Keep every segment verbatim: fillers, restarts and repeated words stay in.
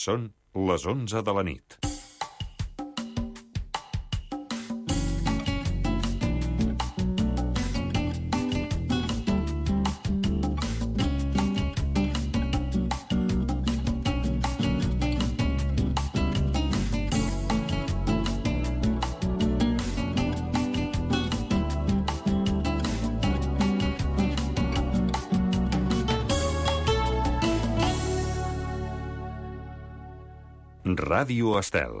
Són les onze de la nit. Ràdio Estel.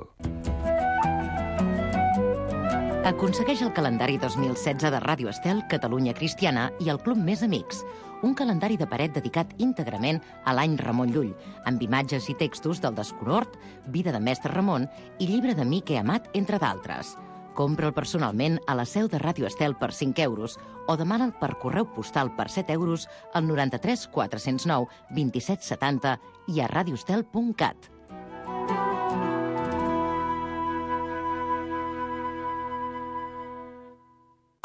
Aconsegueix el calendari dos mil setze de Ràdio Estel, Catalunya Cristiana i el Club Més Amics. Un calendari de paret dedicat íntegrament a l'any Ramon Llull, amb imatges i textos del Desconhort, Vida de Mestre Ramon i Llibre de Mique Amat, entre d'altres. Compra'l personalment a la seu de Ràdio Estel per cinc euros o demana'l per correu postal per set euros al noranta-tres quatre-cents nou vint-i-set setanta i a radioestel punt cat.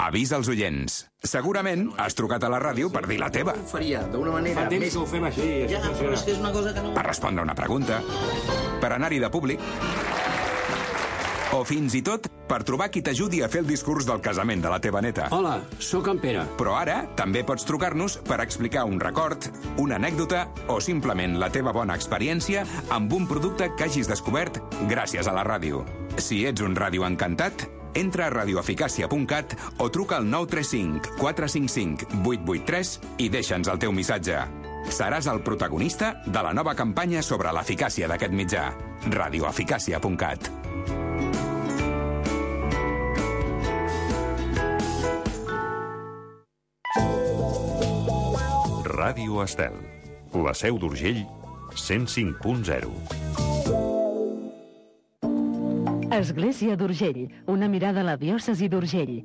Avís als oients. Segurament has trucat a la ràdio per dir la teva. Ho faria d'una manera Fa temps més... que ho fem així. Ja, però és que és una cosa que no... Per respondre una pregunta, per anar-hi de públic, o fins i tot per trobar qui t'ajudi a fer el discurs del casament de la teva neta. Hola, sóc en Pere. Però ara també pots trucar-nos per explicar un record, una anècdota o simplement la teva bona experiència amb un producte que hagis descobert gràcies a la ràdio. Si ets un ràdio encantat, entra a radioeficàcia punt cat o truca al nou tres cinc quatre cinc cinc vuit vuit tres i deixa'ns el teu missatge. Seràs el protagonista de la nova campanya sobre l'eficàcia d'aquest mitjà. radioeficàcia punt cat. Ràdio Estel. La Seu d'Urgell, cent cinc punt zero. Església d'Urgell, una mirada a la diòcesi d'Urgell.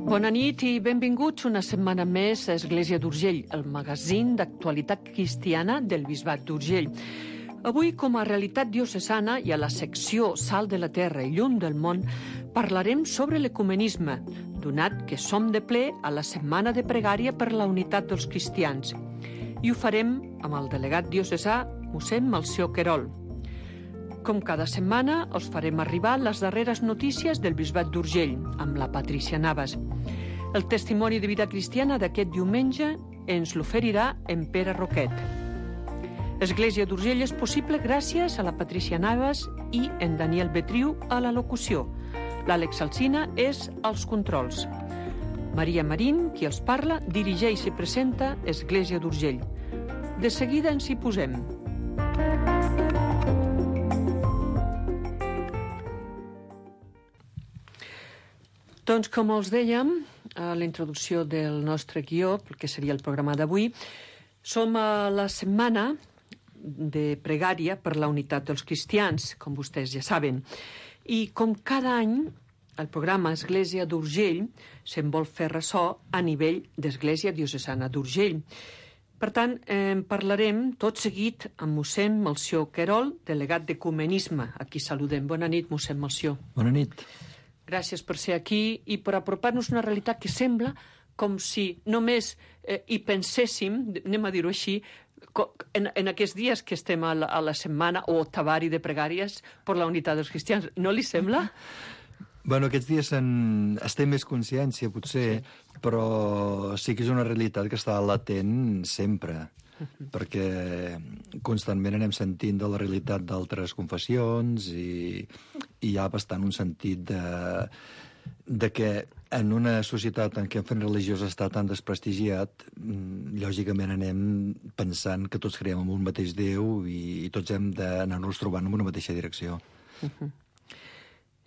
Bona nit i benvinguts una setmana més a Església d'Urgell, el magazín d'actualitat cristiana del Bisbat d'Urgell. Avui, com a realitat diocesana i a la secció Sal de la Terra i Llum del Món, parlarem sobre l'ecumenisme, donat que som de ple a la Setmana de Pregària per la Unitat dels Cristians. I ho farem amb el delegat diocesà, mossèn Melcior Querol. Com cada setmana, us farem arribar les darreres notícies del Bisbat d'Urgell, amb la Patrícia Navas. El testimoni de vida cristiana d'aquest diumenge ens l'oferirà en Pere Roquet. Església d'Urgell és possible gràcies a la Patrícia Navas i en Daniel Betriu a la locució. L'Àlex Alsina és als controls. Maria Marín, qui els parla, dirigeix i presenta Església d'Urgell. De seguida ens hi posem. Doncs, com us dèiem, a la introducció del nostre guió, que seria el programa d'avui, som a la setmana de pregària per la unitat dels cristians, com vostès ja saben. I com cada any, el programa Església d'Urgell se'n vol fer ressò a nivell d'Església Diocesana d'Urgell. Per tant, en parlarem tot seguit amb mossèn Melcior Querol, delegat d'Ecumenisme. Aquí saludem. Bona nit, mossèn Melcior. Bona nit. Gràcies per ser aquí i per apropar-nos una realitat que sembla com si només eh, hi penséssim, anem a dir-ho així, en, en aquests dies que estem a la, a la setmana o tavari de pregàries per la unitat dels cristians. No li sembla? Bueno, aquests dies en... es té més consciència, potser, sí. Però sí que és una realitat que està latent sempre, uh-huh. Perquè constantment anem sentint de la realitat d'altres confessions i, i hi ha bastant un sentit de, de que en una societat en què el fet religiós està tan desprestigiat, lògicament anem pensant que tots creiem en un mateix Déu i, i tots hem d'anar-nos trobant en una mateixa direcció. Uh-huh.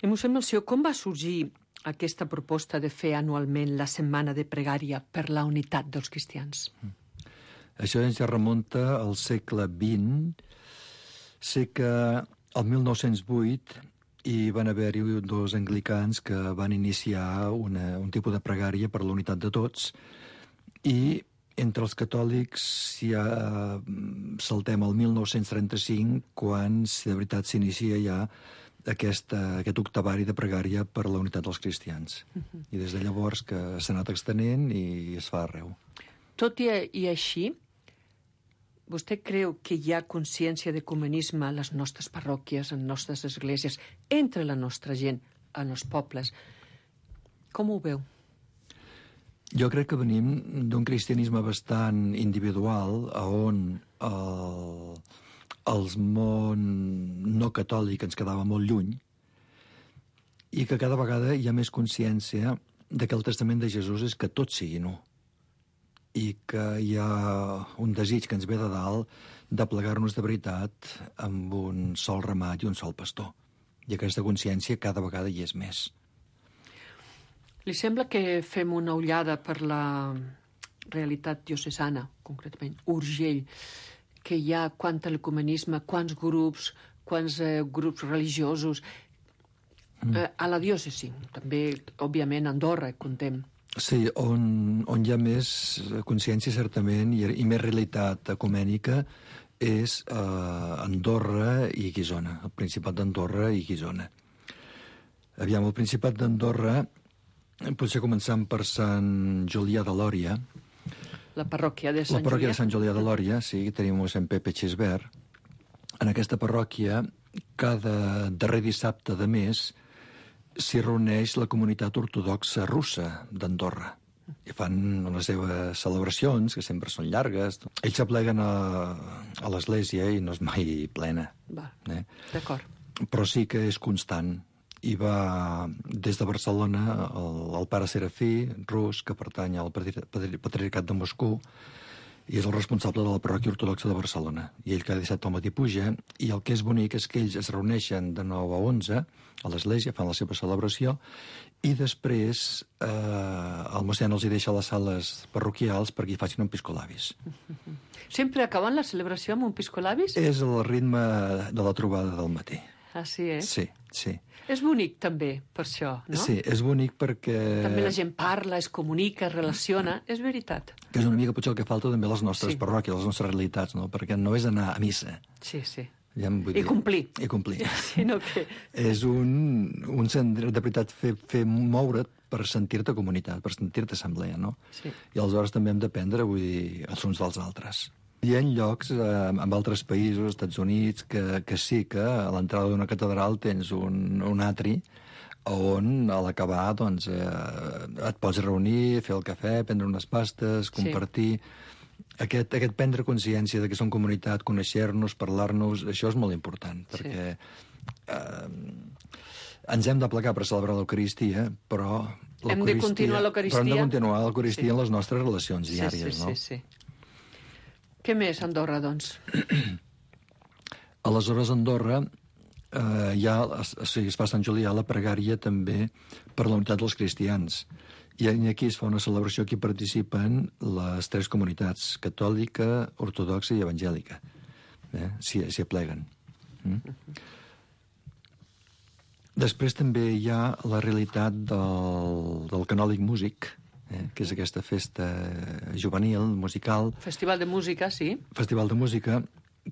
I mossèn Melcior, com va sorgir aquesta proposta de fer anualment la setmana de pregària per la unitat dels cristians? Això ja remunta al segle vint. Sé que el mil nou-cents vuit hi van haver-hi dos anglicans que van iniciar una, un tipus de pregària per la unitat de tots i entre els catòlics ja saltem al mil nou-cents trenta-cinc quan de veritat s'inicia ja Aquest, aquest octavari de pregària per la unitat dels cristians. Uh-huh. I des de llavors que s'ha anat extenent i es fa arreu. Tot i, i així, vostè creu que hi ha consciència d'ecumenisme a les nostres parròquies, en nostres esglésies, entre la nostra gent, en els pobles? Com ho veu? Jo crec que venim d'un cristianisme bastant individual, on el, el món no catòlic ens quedava molt lluny, i que cada vegada hi ha més consciència de que el testament de Jesús és que tot sigui nu, i que hi ha un desig que ens ve de dalt de plegar-nos de veritat amb un sol ramat i un sol pastor. I aquesta consciència cada vegada hi és més. Li sembla que fem una ullada per la realitat diocesana, concretament Urgell, que hi ha quant a l'ecumenisme, quants grups, quants eh, grups religiosos, mm. eh, a la diòcesi, també, òbviament, Andorra, contem. Sí, on, on hi ha més consciència, certament, i, i més realitat ecumènica, és eh, Andorra i Guissona, el Principat d'Andorra i Guissona. Aviam, el Principat d'Andorra, potser començant per Sant Julià de Lòria. La parròquia de Sant Julià. La parròquia de Sant Julià de Lòria, sí, tenim Sant Pepe Xisbert. En aquesta parròquia, cada darrer dissabte de mes, s'hi reuneix la comunitat ortodoxa russa d'Andorra. I fan les seves celebracions, que sempre són llargues. Ells s'apleguen a, a l'església i no és mai plena. Va, eh? D'acord. Però sí que és constant. I va des de Barcelona el, el pare Serafí, rus, que pertany al Patriarcat de Moscou, i és el responsable de la parròquia ortodoxa de Barcelona. I ell cada dissabte al matí puja, i el que és bonic és que ells es reuneixen de nou a onze a l'església, fan la seva celebració, i després eh, el mossèn els hi deixa les sales parroquials perquè hi facin un piscolabis. Sempre acaben la celebració amb un piscolabis? És el ritme de la trobada del matí. Ah, sí, eh? Sí, sí. És bonic, també, per això, no? Sí, és bonic perquè... També la gent parla, es comunica, es relaciona, és veritat. Que és una mica potser el que falta també a les nostres Sí. parròquies, a les nostres realitats, no? Perquè no és anar a missa. Sí, sí. Ja em vull I dir- complir. I complir. Sinó que... És un, un sentir, de veritat, fer, fer moure't per sentir-te comunitat, per sentir-te assemblea, no? Sí. I aleshores també hem d'aprendre, vull dir, els uns dels altres. Hi ha llocs, eh, en altres països, Estats Units, que, que sí que a l'entrada d'una catedral tens un, un atri on a l'acabar doncs, eh, et pots reunir, fer el cafè, prendre unes pastes, compartir... Aquest, aquest prendre consciència de que som comunitat, conèixer-nos, parlar-nos, això és molt important, perquè eh, ens hem de plegar per celebrar l'Eucaristia, però Hem de continuar l'Eucaristia. Però hem de continuar l'Eucaristia Sí. en les nostres relacions diàries, sí, sí, no? sí, sí. Què més, Andorra, doncs? Aleshores, a Andorra, eh, hi ha, o sigui, es fa a Sant Julià la pregària també per la unitat dels cristians. I aquí es fa una celebració que hi participen les tres comunitats, catòlica, ortodoxa i evangèlica. Eh? S'hi s'hi apleguen. Mm? Després també hi ha la realitat del, del Canòlic Músic, eh? que és aquesta festa juvenil, musical, Festival de música, sí. festival de música,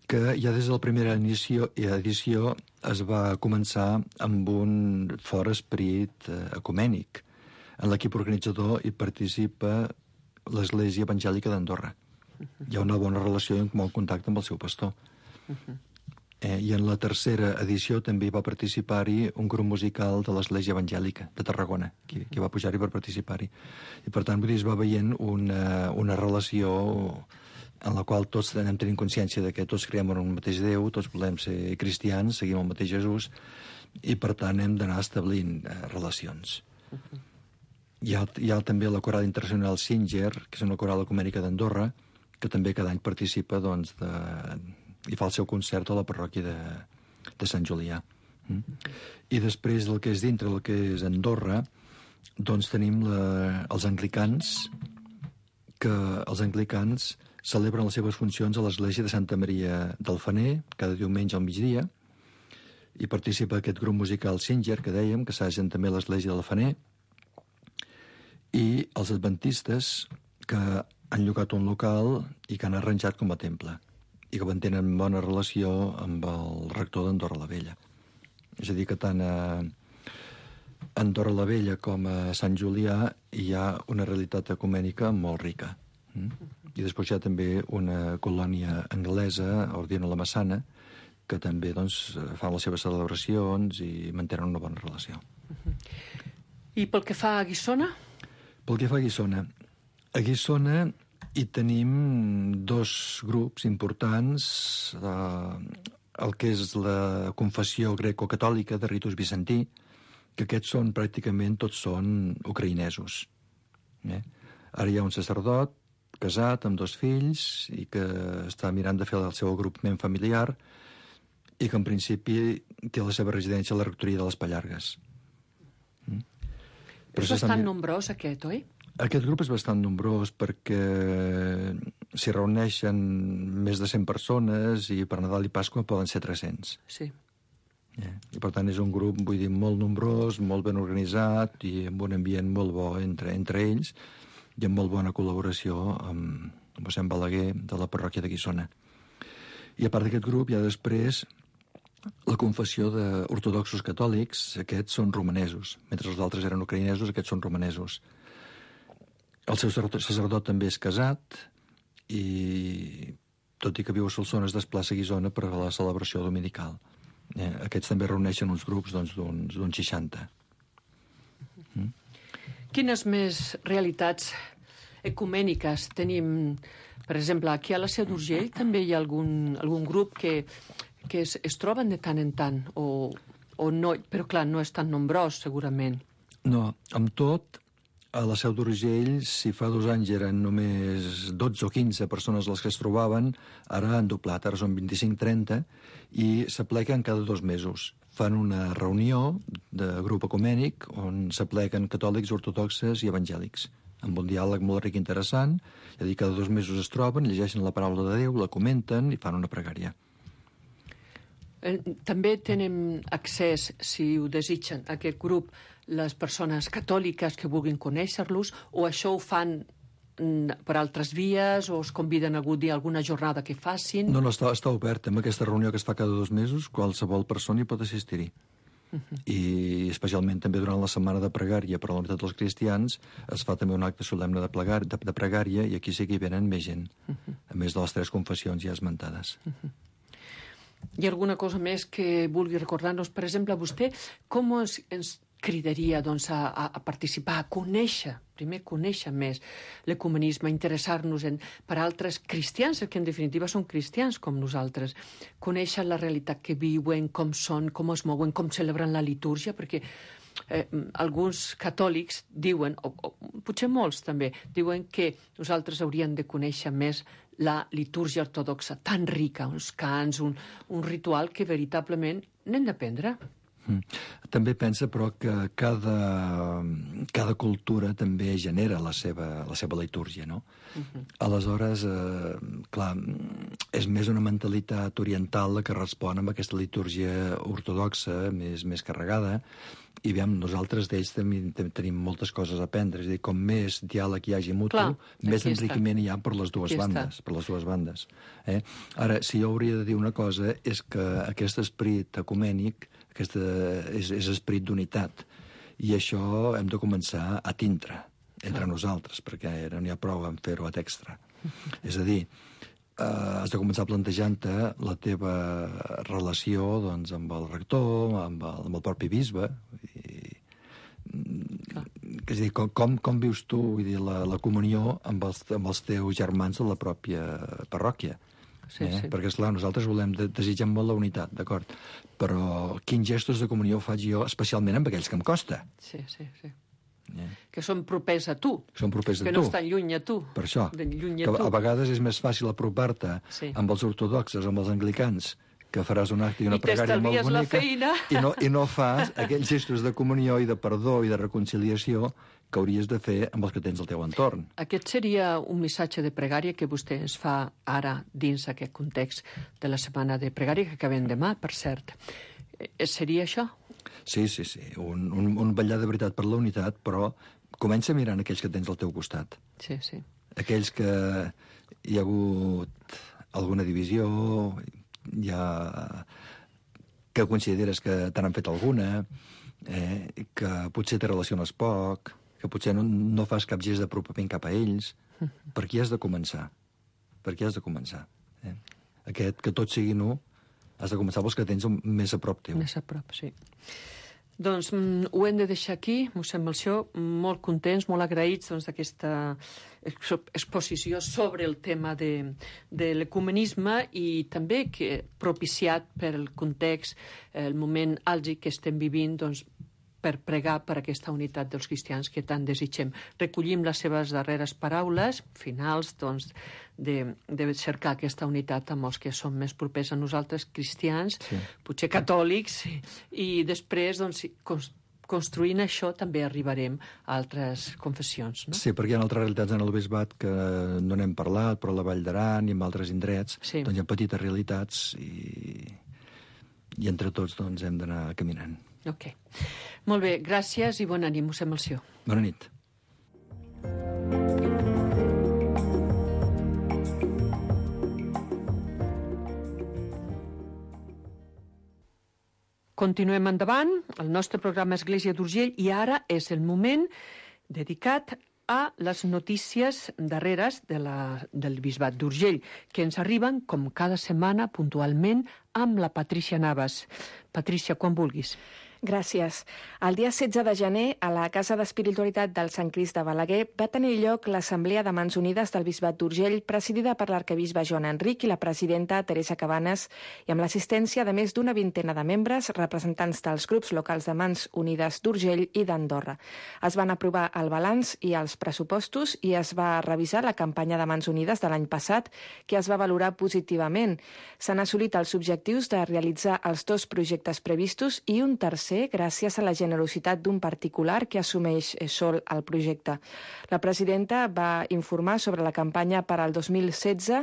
que ja des de la primera edició, edició es va començar amb un fort esperit eh, ecumènic. En l'equip organitzador hi participa l'Església Evangèlica d'Andorra. Hi ha una bona relació i un bon contacte amb el seu pastor. Eh, I en la tercera edició també hi va participar-hi un grup musical de l'Església Evangèlica de Tarragona, que, que va pujar-hi per participar-hi. I per tant, vull dir, es va veient una, una relació en la qual tots anem tenint consciència de que tots creiem en un mateix Déu, tots volem ser cristians, seguim el mateix Jesús, i per tant hem d'anar establint eh, relacions. Hi ha, hi ha també la coral internacional Singer, que és una coral ecumènica d'Andorra, que també cada any participa, doncs, de, i fa el seu concert a la parròquia de, de Sant Julià. Mm? I després del que és dintre, el que és Andorra, doncs tenim la, els anglicans, que els anglicans celebren les seves funcions a l'església de Santa Maria del Fener, cada diumenge al migdia, i participa aquest grup musical Singer, que dèiem, que s'agen també a l'església del Fener, i els adventistes, que han llogat un local i que han arranjat com a temple, i que mantenen bona relació amb el rector d'Andorra la Vella. És a dir, que tant a Andorra la Vella com a Sant Julià hi ha una realitat ecumènica molt rica. Mm? i després hi ha també una colònia anglesa, Ordino la Massana, que també doncs, fan les seves celebracions i mantenen una bona relació. I pel que fa a Guissona? Pel que fa a Guissona, a Guissona hi tenim dos grups importants, eh, el que és la confessió greco-catòlica de ritus bizantí, que aquests són pràcticament tots són ucraïnesos. Eh? Ara hi ha un sacerdot casat amb dos fills i que està mirant de fer el seu agrupament familiar i que en principi té la seva residència a la rectoria de les Pallargues. Mm? És bastant nombrós aquest, oi? Aquest grup és bastant nombrós perquè s'hi reuneixen més de cent persones i per Nadal i Pasqua poden ser tres-cents. Sí. Yeah. I per tant és un grup, vull dir, molt nombrós, molt ben organitzat i amb un ambient molt bo entre, entre ells i amb molt bona col·laboració amb, amb mossèn Balaguer de la parròquia de Guissona. I a part d'aquest grup hi ha després la confessió d'ortodoxos catòlics, aquests són romanesos. Mentre els altres eren ucraïnesos, aquests són romanesos. El seu sacerdot també és casat i, tot i que viu a Solsona, es desplaça a Guissona per a la celebració dominical. Eh, aquests també reuneixen uns grups d'uns doncs, seixanta. Mm? Quines més realitats ecumèniques tenim? Per exemple, aquí a la Seu d'Urgell també hi ha algun, algun grup que, que es, es troben de tant en tant, o, o no, però clar, no és tan nombrós, segurament. No, amb tot, a la Seu d'Urgell, si fa dos anys eren només dotze o quinze persones les que es trobaven, ara han doblat, ara són vint-i-cinc trenta, i s'apleguen cada dos mesos. Fan una reunió de grup ecumènic on s'apleguen catòlics, ortodoxes i evangèlics, amb un diàleg molt ric i interessant. És a dir, cada dos mesos es troben, llegeixen la paraula de Déu, la comenten i fan una pregària. També tenen accés, si ho desitgen, a aquest grup, les persones catòliques que vulguin conèixer-los, o això ho fan per altres vies, o es conviden a algun dia a alguna jornada que facin? No, no, està, està obert. Amb aquesta reunió que es fa cada dos mesos, qualsevol persona hi pot assistir-hi. Uh -huh. I especialment també durant la setmana de pregària per a la unitat dels cristians es fa també un acte solemne de, plegar, de, de pregària i aquí sí que hi venen més gent, uh -huh. a més de les tres confessions ja esmentades. Uh -huh. Hi ha alguna cosa més que vulgui recordar-nos? Per exemple, vostè com es, ens cridaria doncs, a, a participar, a conèixer, primer conèixer més l'ecumenisme, interessar-nos en, per altres cristians, que en definitiva són cristians com nosaltres, conèixer la realitat que viuen, com són, com es mouen, com celebren la litúrgia, perquè eh, alguns catòlics diuen, o, o potser molts també, diuen que nosaltres hauríem de conèixer més la litúrgia ortodoxa, tan rica, uns cants, un, un ritual que veritablement n'hem d'aprendre. Mm. També pensa, però, que cada, cada cultura també genera la seva, la seva litúrgia, no? Uh-huh. Aleshores, eh, clar, és més una mentalitat oriental la que respon amb aquesta litúrgia ortodoxa, més, més carregada, i veiem, nosaltres d'ells tenim, tenim moltes coses a aprendre. És a dir, com més diàleg hi hagi mutu, clar, més enriquiment hi ha per les dues bandes. Per les dues bandes. Eh? Ara, si jo hauria de dir una cosa, és que aquest esperit ecumènic aquest és, és esperit d'unitat. I això hem de començar a tindre entre ah. nosaltres, perquè no n'hi ha prou en fer-ho a extra. És a dir, eh, has de començar plantejant-te la teva relació doncs, amb el rector, amb el, amb el propi bisbe. I, és a dir, com, com, com vius tu vull dir, la, la comunió amb els, amb els teus germans de la pròpia parròquia? Sí, eh? sí. Perquè, esclar, nosaltres volem, de, desitgem molt la unitat, d'acord? Però quins gestos de comunió faig jo, especialment amb aquells que em costa? Sí, sí, sí. Eh? Que són propers a tu. Són propers a que tu. Que no estan lluny a tu. Per això. Lluny a, a, tu. a vegades és més fàcil apropar-te sí. amb els ortodoxes o amb els anglicans, que faràs un acte i una I pregària molt bonica, i no, i no fas aquells gestos de comunió i de perdó i de reconciliació que hauries de fer amb els que tens al teu entorn. Aquest seria un missatge de pregària que vostè ens fa ara dins aquest context de la setmana de pregària que acabem demà, per cert. Seria això? Sí, sí, sí. Un, un, un ballar de veritat per la unitat, però comença mirant aquells que tens al teu costat. Sí, sí. Aquells que hi ha hagut alguna divisió, ja que consideres que te n'han fet alguna, eh, que potser te relaciones poc, que potser no, no fas cap gest d'apropament cap a ells, per aquí has de començar. per aquí has de començar. Eh? Aquest, que tots siguin u, has de començar pels que tens més a prop teu. Més a prop, sí. Doncs mm, ho hem de deixar aquí, mossèn Melcior, molt contents, molt agraïts doncs, d'aquesta exposició sobre el tema de, de l'ecumenisme i també que propiciat per el context, el moment àlgid que estem vivint, doncs, per pregar per aquesta unitat dels cristians que tant desitgem. Recollim les seves darreres paraules, finals, doncs, de, de cercar aquesta unitat amb els que som més propers a nosaltres, cristians, sí. Potser catòlics, i, i després, doncs, construint això també arribarem a altres confessions. No? Sí, perquè hi ha altres realitats en el bisbat que no n'hem parlat, però a la Vall d'Aran i en altres indrets, sí. Doncs hi ha petites realitats i, i entre tots doncs, hem d'anar caminant. Ok. Molt bé, gràcies i bona nit, mossèn Melcior. Bona nit. Continuem endavant, el nostre programa Església d'Urgell, i ara és el moment dedicat a les notícies darreres de la, del bisbat d'Urgell, que ens arriben, com cada setmana, puntualment, amb la Patrícia Navas. Patrícia, quan vulguis. Gràcies. El dia setze de gener, a la Casa d'Espiritualitat del Sant Crist de Balaguer, va tenir lloc l'Assemblea de Mans Unides del Bisbat d'Urgell, presidida per l'arquebisbe Joan Enric i la presidenta Teresa Cabanes, i amb l'assistència de més d'una vintena de membres, representants dels grups locals de Mans Unides d'Urgell i d'Andorra. Es van aprovar el balanç i els pressupostos i es va revisar la campanya de Mans Unides de l'any passat, que es va valorar positivament. S'han assolit els objectius de realitzar els dos projectes previstos i un tercer gràcies a la generositat d'un particular que assumeix sol el projecte. La presidenta va informar sobre la campanya per al dos mil setze,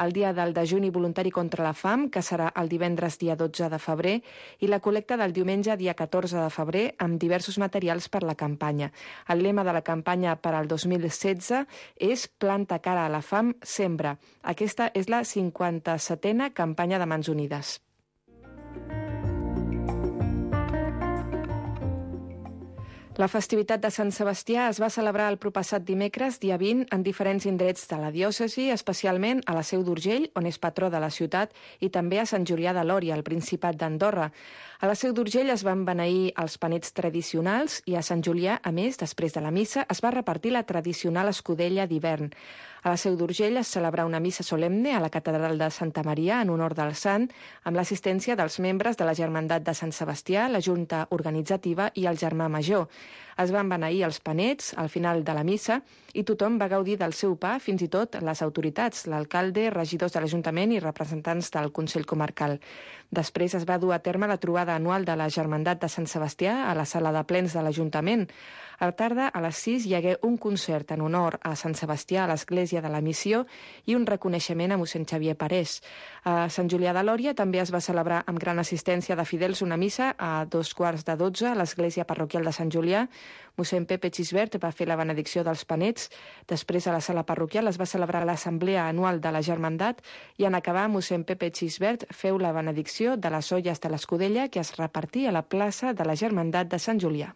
el dia del dejuni voluntari contra la fam, que serà el divendres dia dotze de febrer, i la col·lecta del diumenge dia catorze de febrer amb diversos materials per la campanya. El lema de la campanya per al dos mil setze és Planta cara a la fam, sembra. Aquesta és la cinquanta-setena campanya de Mans Unides. La festivitat de Sant Sebastià es va celebrar el propassat dimecres, dia vint, en diferents indrets de la diòcesi, especialment a la Seu d'Urgell, on és patró de la ciutat, i també a Sant Julià de Lòria, al Principat d'Andorra. A la Seu d'Urgell es van beneir els panets tradicionals i a Sant Julià, a més, després de la missa, es va repartir la tradicional escudella d'hivern. A la Seu d'Urgell es celebrà una missa solemne a la catedral de Santa Maria en honor del sant, amb l'assistència dels membres de la Germandat de Sant Sebastià, la Junta Organitzativa i el Germà Major. Es van beneir els panets al final de la missa i tothom va gaudir del seu pa, fins i tot les autoritats, l'alcalde, regidors de l'Ajuntament i representants del Consell Comarcal. Després es va dur a terme la trobada anual de la Germandat de Sant Sebastià a la sala de plens de l'Ajuntament. A la tarda, a les sis, hi hagué un concert en honor a Sant Sebastià a l'Església de la Missió i un reconeixement a mossèn Xavier Parés. A Sant Julià de Lòria també es va celebrar amb gran assistència de fidels una missa a dos quarts de dotze a l'Església Parroquial de Sant Julià. Mossèn Pepe Xisbert va fer la benedicció dels panets. Després, a la sala parroquial, es va celebrar l'assemblea anual de la Germandat i en acabar, mossèn Pepe Xisbert feu la benedicció de les olles de l'escudella que es repartí a la plaça de la Germandat de Sant Julià.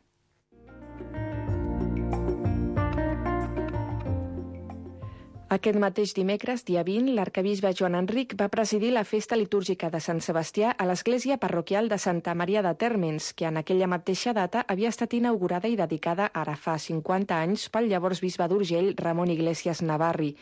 Aquest mateix dimecres, dia vint, l'arquebisbe Joan Enric va presidir la festa litúrgica de Sant Sebastià a l'església parroquial de Santa Maria de Térmens, que en aquella mateixa data havia estat inaugurada i dedicada ara fa cinquanta anys pel llavors bisbe d'Urgell, Ramon Iglesias Navarri.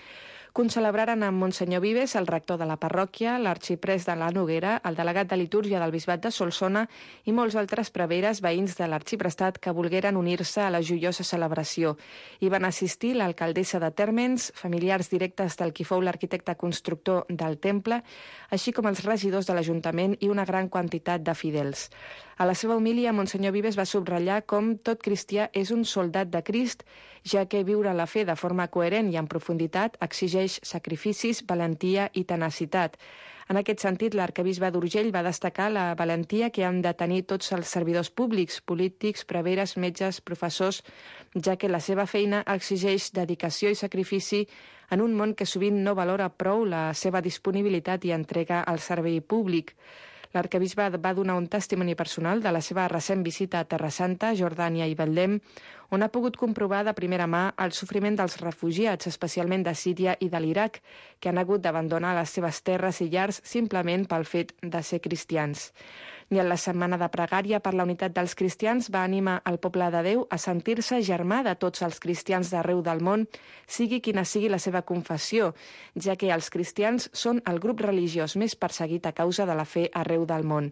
Concelebraren amb Monsenyor Vives, el rector de la parròquia, l'arxiprès de la Noguera, el delegat de litúrgia del bisbat de Solsona i molts altres preveres veïns de l'arxiprestat que volgueren unir-se a la joiosa celebració. Hi van assistir l'alcaldessa de Térmens, familiars directes del qui fou l'arquitecte constructor del temple, així com els regidors de l'Ajuntament i una gran quantitat de fidels. A la seva homilia, Monsenyor Vives va subratllar com tot cristià és un soldat de Crist, ja que viure la fe de forma coherent i en profunditat exigeix sacrificis, valentia i tenacitat. En aquest sentit, l'arquebisbe d'Urgell va destacar la valentia que han de tenir tots els servidors públics, polítics, preveres, metges, professors, ja que la seva feina exigeix dedicació i sacrifici en un món que sovint no valora prou la seva disponibilitat i entrega al servei públic. L'arquebisbe va donar un testimoni personal de la seva recent visita a Terra Santa, Jordània i Betlem, on ha pogut comprovar de primera mà el sofriment dels refugiats, especialment de Síria i de l'Iraq, que han hagut d'abandonar les seves terres i llars simplement pel fet de ser cristians. I en la setmana de pregària per la unitat dels cristians va animar el poble de Déu a sentir-se germà de tots els cristians d'arreu del món, sigui quina sigui la seva confessió, ja que els cristians són el grup religiós més perseguit a causa de la fe arreu del món.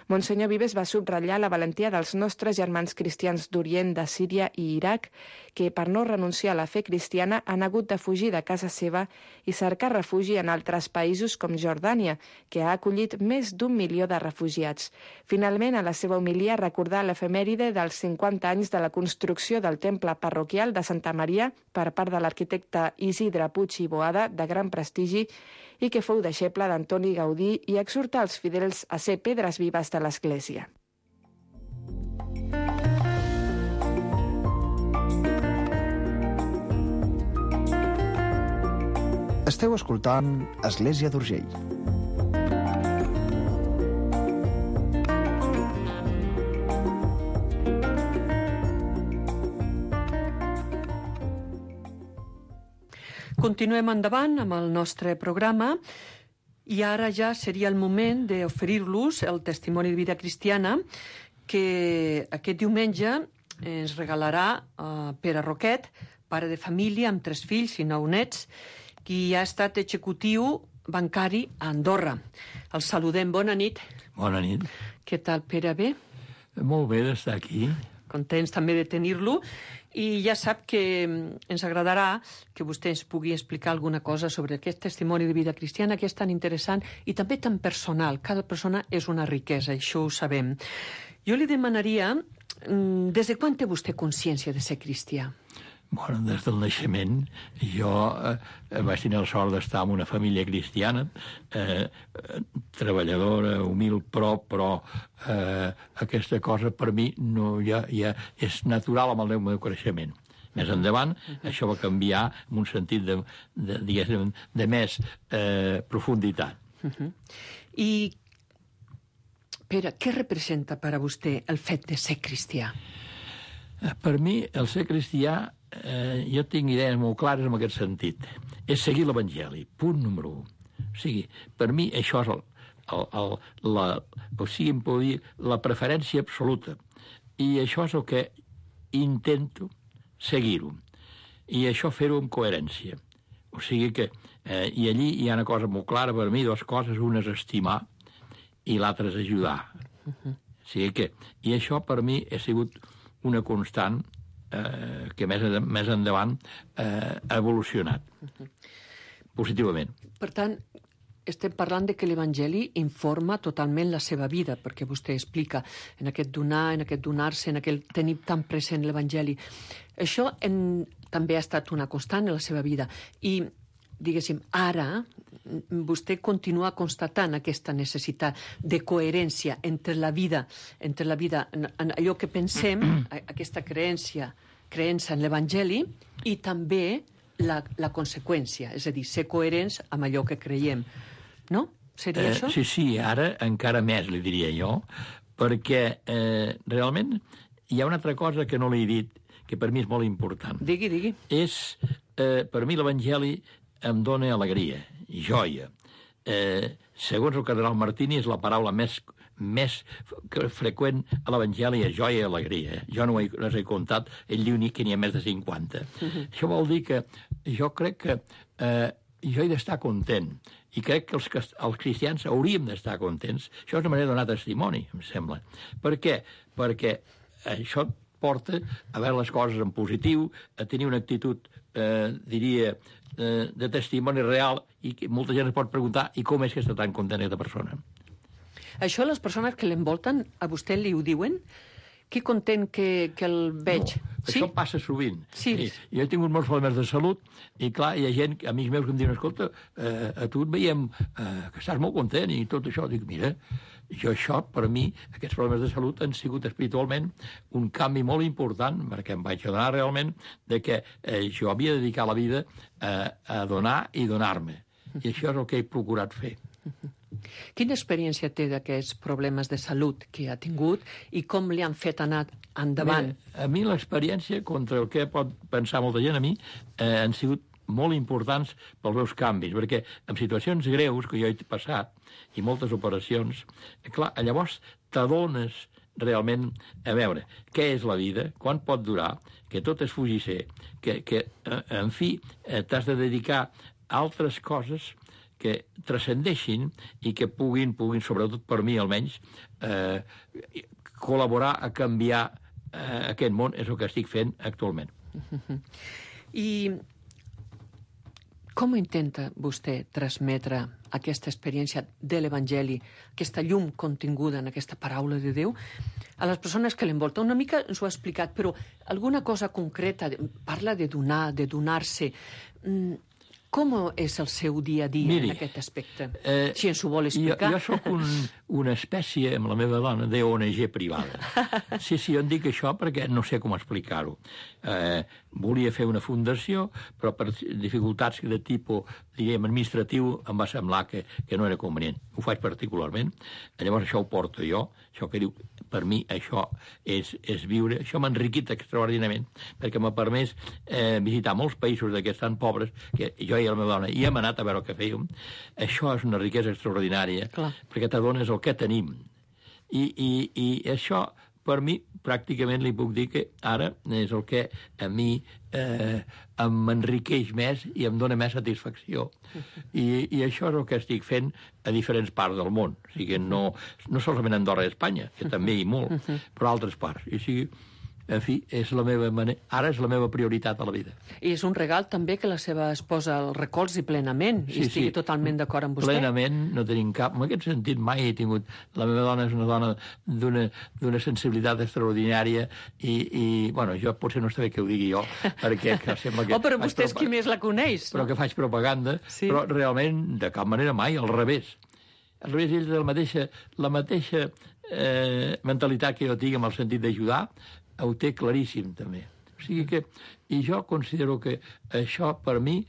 Monsenyor Vives va subratllar la valentia dels nostres germans cristians d'Orient, de Síria i Iraq, que per no renunciar a la fe cristiana han hagut de fugir de casa seva i cercar refugi en altres països com Jordània, que ha acollit més d'un milió de refugiats. Finalment, a la seva homilia, recordar l'efemèride dels cinquanta anys de la construcció del temple parroquial de Santa Maria per part de l'arquitecte Isidre Puig i Boada, de gran prestigi, i que fou deixeble d'Antoni Gaudí, i exhortar els fidels a ser pedres vives de l'Església. Esteu escoltant Església d'Urgell. Continuem endavant amb el nostre programa i ara ja seria el moment d'oferir-los el testimoni de vida cristiana que aquest diumenge ens regalarà uh, Pere Roquet, pare de família amb tres fills i nou nets, qui ha estat executiu bancari a Andorra. El saludem. Bona nit. Bona nit. Què tal, Pere? Bé? Molt bé d'estar aquí. Contents també de tenir-lo. I ja sap que ens agradarà que vostè ens pugui explicar alguna cosa sobre aquest testimoni de vida cristiana que és tan interessant i també tan personal. Cada persona és una riquesa, això ho sabem. Jo li demanaria, des de quan té vostè consciència de ser cristià? Bueno, des del naixement. Jo eh, vaig tenir la sort d'estar en una família cristiana, eh, treballadora, humil, però, però eh, aquesta cosa per mi no, ja, ja és natural amb el meu creixement. Més endavant, uh-huh. això va canviar en un sentit de, de, diguéssim, de més eh, profunditat. Uh-huh. I, Pere, què representa per a vostè el fet de ser cristià? Per mi, el ser cristià, eh, jo tinc idees molt clares en aquest sentit. És seguir l'Evangeli, punt número un. O sigui, per mi això és el, el, el, la, o sigui, em pot dir, la preferència absoluta. I això és el que intento seguir-ho. I això fer-ho amb coherència. O sigui que, eh, i allí hi ha una cosa molt clara per mi, dues coses, una és estimar i l'altra és ajudar. Uh-huh. O sigui que, i això per mi ha sigut una constant eh, que més, més endavant eh, ha evolucionat positivament. Per tant, estem parlant de que l'Evangeli informa totalment la seva vida, perquè vostè explica en aquest donar, en aquest donar-se, en aquest tenir tan present l'Evangeli. Això en, també ha estat una constant en la seva vida. I, diguéssim, ara vostè continua constatant aquesta necessitat de coherència entre la vida, entre la vida, en, en allò que pensem, aquesta creència, creença en l'Evangeli, i també la, la conseqüència, és a dir, ser coherents amb allò que creiem. No? Seria eh, això? Sí, sí, ara encara més, li diria jo, perquè eh, realment hi ha una altra cosa que no l'he dit, que per mi és molt important. Digui, digui. És, eh, per mi l'Evangeli em dona alegria, joia. Eh, segons el cardenal Martini, és la paraula més, més freqüent a l'Evangeli, és joia i alegria. Jo no ho he, les he comptat, ell diu ni que n'hi ha més de cinquanta. Uh-huh. Això vol dir que jo crec que eh, jo he d'estar content, i crec que els, els cristians hauríem d'estar contents. Això és una manera de donar testimoni, em sembla. Per què? Perquè això porta a veure les coses en positiu, a tenir una actitud, eh, diria, eh, de testimoni real, i que molta gent es pot preguntar i com és que està tan content aquesta persona. Això les persones que l'envolten, a vostè li ho diuen? Que content que, que el veig. No, això sí? passa sovint. Sí. Sí. Jo he tingut molts problemes de salut i, clar, hi ha gent, amics meus, que em diuen, escolta, eh, a tu et veiem eh, que estàs molt content i tot això. Dic, mira, jo això, per mi, aquests problemes de salut han sigut espiritualment un canvi molt important, perquè em vaig adonar realment de que eh, jo havia de dedicar la vida eh, a donar i donar-me. I això és el que he procurat fer. Quina experiència té d'aquests problemes de salut que ha tingut i com li han fet anar endavant? Mira, a mi l'experiència, contra el que pot pensar molta gent, a mi eh, han sigut molt importants pels meus canvis, perquè en situacions greus que jo he passat, i moltes operacions, eh, clar, llavors t'adones realment a veure què és la vida, quan pot durar, que tot és fugisser, que, que en fi, eh, t'has de dedicar a altres coses que transcendeixin i que puguin, puguin, sobretot per mi almenys, eh, col·laborar a canviar eh, aquest món, és el que estic fent actualment. I com intenta vostè transmetre aquesta experiència de l'Evangeli, aquesta llum continguda en aquesta paraula de Déu, a les persones que l'envolten? Una mica ens ho ha explicat, però alguna cosa concreta, parla de donar, de donar-se. Com és el seu dia a dia Miri, en aquest aspecte? Eh, si ens ho vol explicar. Jo, jo sóc un, una espècie, amb la meva dona, d'O N G privada. Sí, sí, jo en dic això perquè no sé com explicar-ho. Eh, volia fer una fundació, però per dificultats de tipus, diguem, administratiu, em va semblar que, que no era convenient. Ho faig particularment. Llavors això ho porto jo, això que diu, per mi això és, és viure. Això m'ha enriquit extraordinàriament, perquè m'ha permès eh, visitar molts països d'aquests tan pobres, que jo i la meva dona hi hem anat a veure el que fèiem. Això és una riquesa extraordinària, Clar. perquè t'adones el que tenim. I, i, I això, per mi, pràcticament li puc dir que ara és el que a mi eh, m'enriqueix més i em dona més satisfacció. I, I això és el que estic fent a diferents parts del món. O sigui, no, no solament a Andorra i Espanya, que també hi molt, però a altres parts. I o sigui, en fi, és la meva manera, ara és la meva prioritat a la vida. I és un regal també que la seva esposa el recolzi plenament i sí, estigui sí. totalment d'acord amb vostè. Plenament, no tenim cap... En aquest sentit mai he tingut... La meva dona és una dona d'una sensibilitat extraordinària i, i, bueno, jo potser no està bé que ho digui jo, perquè que sembla que... Oh, però vostè és qui més la coneix. Però que faig propaganda, sí. però realment, de cap manera mai, al revés. Al revés, ell de la mateixa, la mateixa eh, mentalitat que jo tinc amb el sentit d'ajudar, ho té claríssim, també. O sigui que, i jo considero que això, per mi,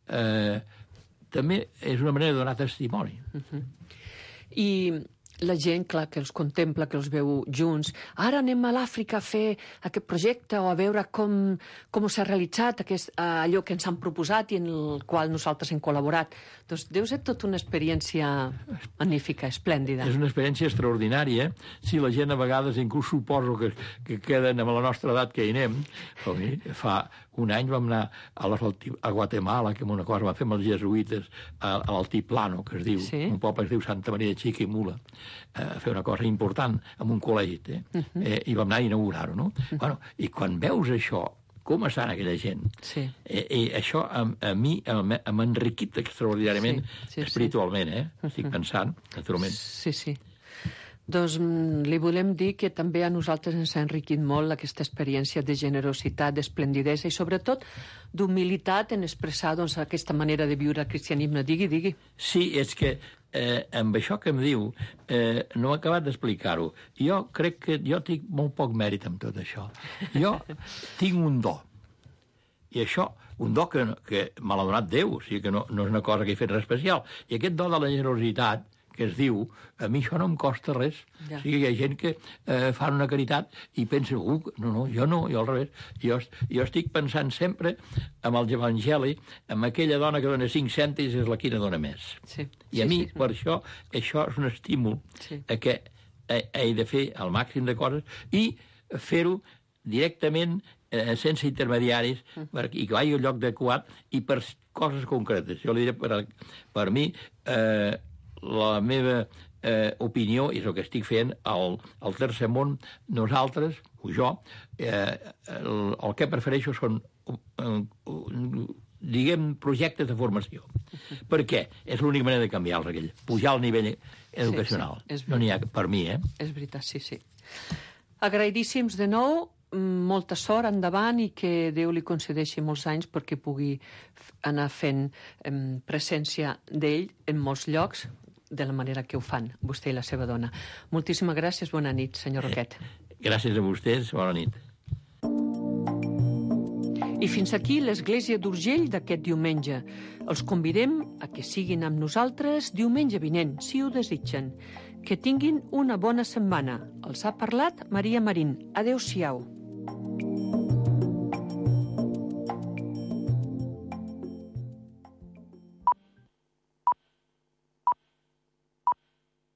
eh, també és una manera de donar testimoni. Uh-huh. I la gent, clar, que els contempla, que els veu junts, ara anem a l'Àfrica a fer aquest projecte o a veure com, com s'ha realitzat aquest, allò que ens han proposat i en el qual nosaltres hem col·laborat. Doncs deu ser tota una experiència magnífica, esplèndida. És una experiència extraordinària. Si la gent a vegades inclús suposo que, que queden amb la nostra edat que hi anem. Fa un any vam anar a, a Guatemala, que una cosa vam fer amb els jesuïtes a, a l'Altiplano, que es diu, sí? Un poble que es diu Santa Maria de Chiquimula, a fer una cosa important amb un col·legi, eh? Uh-huh. eh, i vam anar a inaugurar-ho, no? Uh-huh. Bueno, i quan veus això, com estan aquella gent, sí. eh, eh, això a, a mi m'ha enriquit extraordinàriament sí, sí, espiritualment, eh? Uh-huh. Estic pensant, naturalment. Sí, sí. Doncs li volem dir que també a nosaltres ens ha enriquit molt aquesta experiència de generositat, d'esplendidesa i sobretot d'humilitat en expressar doncs, aquesta manera de viure el cristianisme. Digui, digui. Sí, és que eh, amb això que em diu eh, no he acabat d'explicar-ho. Jo crec que jo tinc molt poc mèrit amb tot això. Jo tinc un do. I això, un do que, que me l'ha donat Déu, o sigui que no, no és una cosa que he fet res especial. I aquest do de la generositat que es diu, a mi això no em costa res. Ja. O sigui, hi ha gent que eh, fan una caritat i pensen, uh, no, no, jo no, jo al revés. Jo, jo estic pensant sempre amb el Evangeli, amb aquella dona que dona cinc cèntims és la que dona més. Sí. I a sí, mi, sí. per això, això és un estímul sí. a que he, he de fer el màxim de coses i fer-ho directament, eh, sense intermediaris, uh. per, i que vagi al lloc adequat i per coses concretes. Jo li diré, per, per mi, eh, la meva eh, opinió, és el que estic fent al, al tercer món, nosaltres, o jo, eh, el, el que prefereixo són, eh, diguem, projectes de formació. Per què? És l'única manera de canviar-los, aquell. Pujar al nivell educacional. Sí, sí, no n'hi ha per mi, eh? És veritat, sí, sí. Agraïdíssims de nou, molta sort endavant i que Déu li concedeixi molts anys perquè pugui anar fent eh, presència d'ell en molts llocs, de la manera que ho fan, vostè i la seva dona. Moltíssimes gràcies, bona nit, senyor Roquet. Gràcies a vostès, bona nit. I fins aquí l'Església d'Urgell d'aquest diumenge. Els convidem a que siguin amb nosaltres diumenge vinent, si ho desitgen. Que tinguin una bona setmana. Els ha parlat Maria Marín. Adéu-siau.